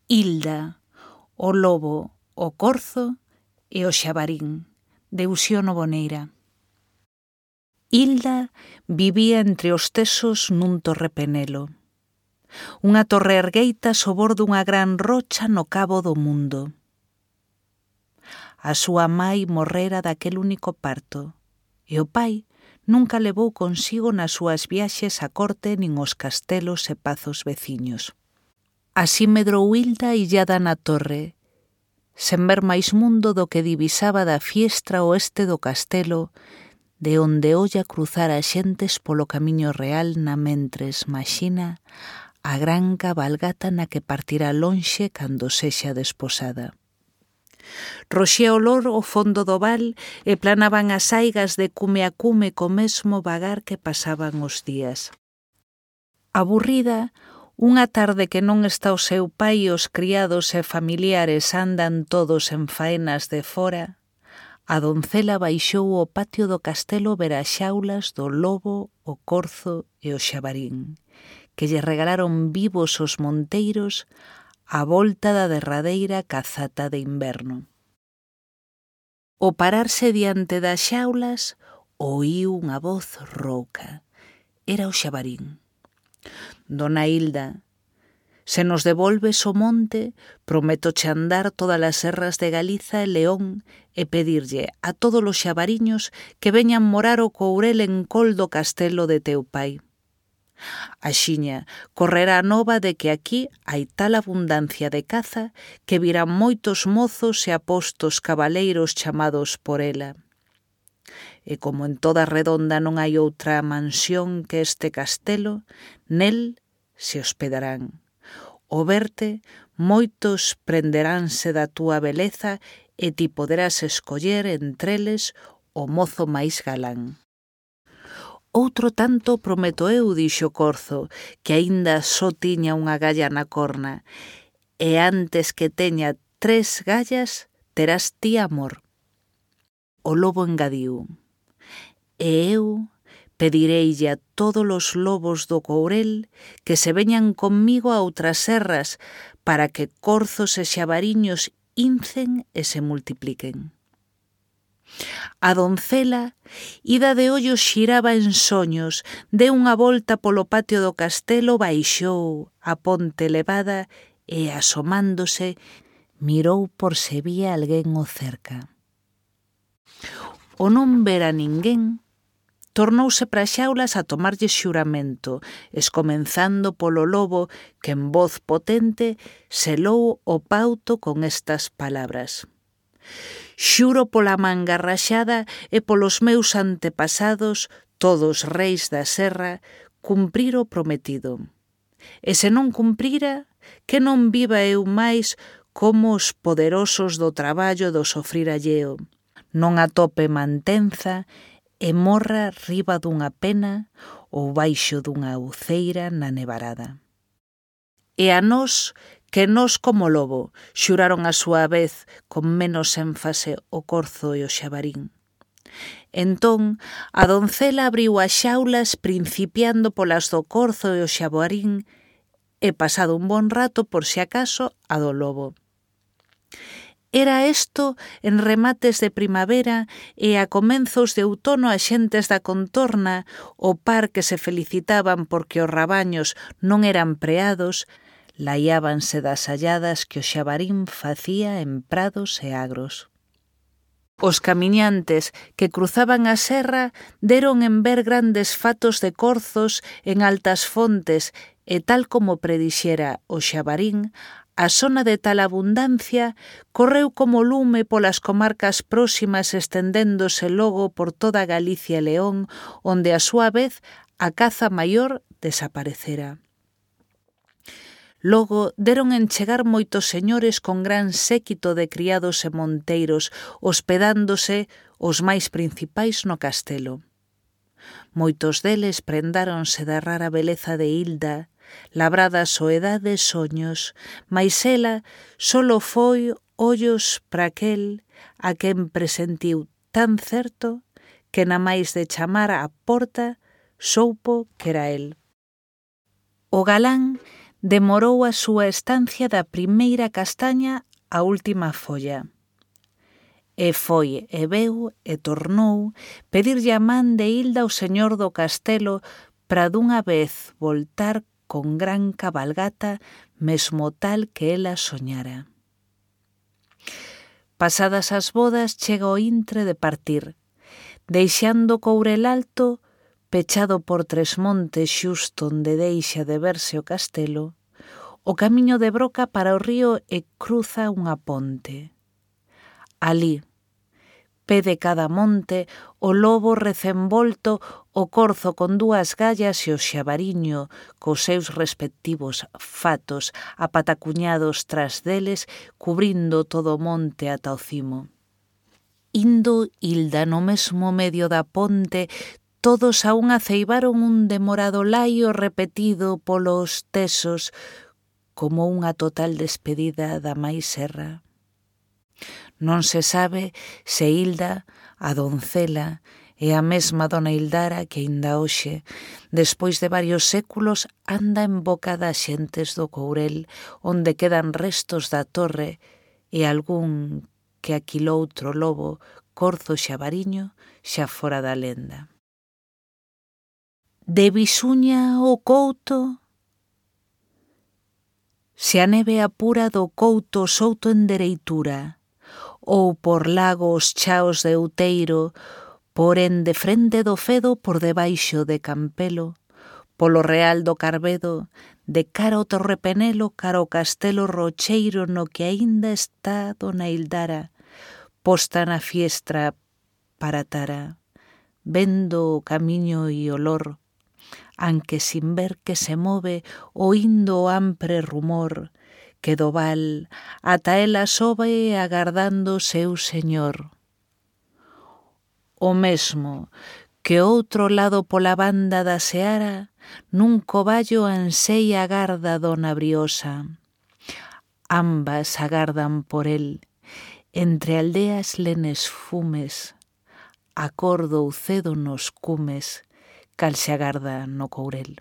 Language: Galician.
Hilda, o lobo, o corzo e o xabarín, de Uxío Novoneira. Hilda vivía entre os tesos nun torrepenelo. Unha torre ergueita sobor dunha gran rocha no cabo do mundo. A súa mai morrera daquel único parto, e o pai nunca levou consigo nas súas viaxes á corte nin os castelos e pazos veciños. Así medrou Hilda illada na torre, sen ver máis mundo do que divisaba da fiestra oeste do castelo, de onde olla cruzar as xentes polo camiño real na mentres maxina a gran cabalgata na que partirá lonxe cando sexa desposada. Roxía o lor o fondo do val e planaban as aigas de cume a cume co mesmo vagar que pasaban os días. Aburrida, unha tarde que non está o seu pai e os criados e familiares andan todos en faenas de fora, a doncela baixou ao patio do castelo ver as xaulas do lobo, o corzo e o xabarín, que lle regalaron vivos os monteiros a volta da derradeira cazata de inverno. Ao pararse diante das xaulas, oíu unha voz rouca. Era o xabarín. Dona Hilda, se nos devolves o monte, prométoche andar todas as serras de Galiza e León e pedirlle a todos os xabariños que veñan morar o courel en col do castelo de teu pai. Axiña correrá a nova de que aquí hai tal abundancia de caza que virán moitos mozos e apostos cabaleiros chamados por ela. E como en toda redonda non hai outra mansión que este castelo, nel se hospedarán. O verte, moitos prenderánse da túa beleza e ti poderás escoller entre eles o mozo máis galán. Outro tanto prometo eu, dixo Corzo, que aínda só tiña unha galla na corna, e antes que teña 3 gallas terás ti amor. O lobo engadiu, e eu pedireille a todos os lobos do courel que se veñan comigo a outras serras para que corzos e xabariños incen e se multipliquen. A doncela, ida de ollos xiraba en soños, deu unha volta polo patio do castelo, baixou a ponte elevada e, asomándose, mirou por se vía alguén o cerca. O non ver a ninguén, tornouse para as xaulas a tomarlle xuramento, escomenzando polo lobo que en voz potente selou o pauto con estas palabras: xuro pola manga raxada e polos meus antepasados, todos reis da serra, cumprir o prometido. E se non cumprira, que non viva eu máis como os poderosos do traballo do sofrir alleo, non atope mantenza e morra riba dunha pena ou baixo dunha uceira na nevarada. E a nós, que nós como lobo, xuraron a súa vez con menos énfase o corzo e o xabarín. Entón, a doncela abriu as xaulas principiando polas do corzo e o xabarín e pasado un bon rato, por si acaso, a do lobo. Era isto en remates de primavera e a comenzos de outono as xentes da contorna, o par que se felicitaban porque os rabaños non eran preados, laiábanse das halladas que o xabarín facía en prados e agros. Os camiñantes que cruzaban a serra deron en ver grandes fatos de corzos en altas fontes e tal como predixera o xabarín, a zona de tal abundancia correu como lume polas comarcas próximas estendéndose logo por toda Galicia e León, onde a súa vez a caza maior desaparecera. Logo deron en chegar moitos señores con gran séquito de criados e monteiros, hospedándose os máis principais no castelo. Moitos deles prendáronse da rara beleza de Hilda, labrada soedade e soños, mais ela solo foi ollos para aquel a quen presentiu tan certo que na máis de chamar á porta soupo que era el. O galán demorou a súa estancia da primeira castaña á última folla. E foi, e veu, e tornou pedirlle a man de Hilda ao señor do castelo para dunha vez voltar con gran cabalgata, mesmo tal que ela soñara. Pasadas as bodas chega o intre de partir, deixando Courel Alto pechado por Tresmontes xusto onde deixa de verse o castelo, o camiño de Broca para o río e cruza unha ponte. Alí, pé de cada monte, o lobo recenvolto, o corzo con dúas gallas e o xabariño cos seus respectivos fatos apatacuñados tras deles, cubrindo todo o monte ata o cimo. Indo Hilda no mesmo medio da ponte, todos a unha ceibaron un demorado laio repetido polos tesos como unha total despedida da máis serra. Non se sabe se Hilda, a doncela, é a mesma dona Hildara que aínda hoxe, despois de varios séculos, anda en boca das xentes do Courel, onde quedan restos da torre e algún que aquiloutro lobo, corzo xabariño, xa fora da lenda. De Bisuña o Couto, se a neve apura do Couto souto en dereitura, ou por lagos chaos de Outeiro, porén de frente do Fedo por debaixo de Campelo, polo Real do Carbedo, de cara ao Torrepenelo, cara ao Castelo Rocheiro no que aínda está dona Hildara, posta na fiestra para Tara, vendo o camiño e olor, anque sin ver que se move, oindo o ampre rumor, que do val ata ela sobe agardando o seu señor. O mesmo que outro lado pola banda da Seara, nun coballo anseia agarda dona Briosa. Ambas agardan por el, entre aldeas lenes fumes, acordo ou cedo nos cumes, cal se agarda no Courel.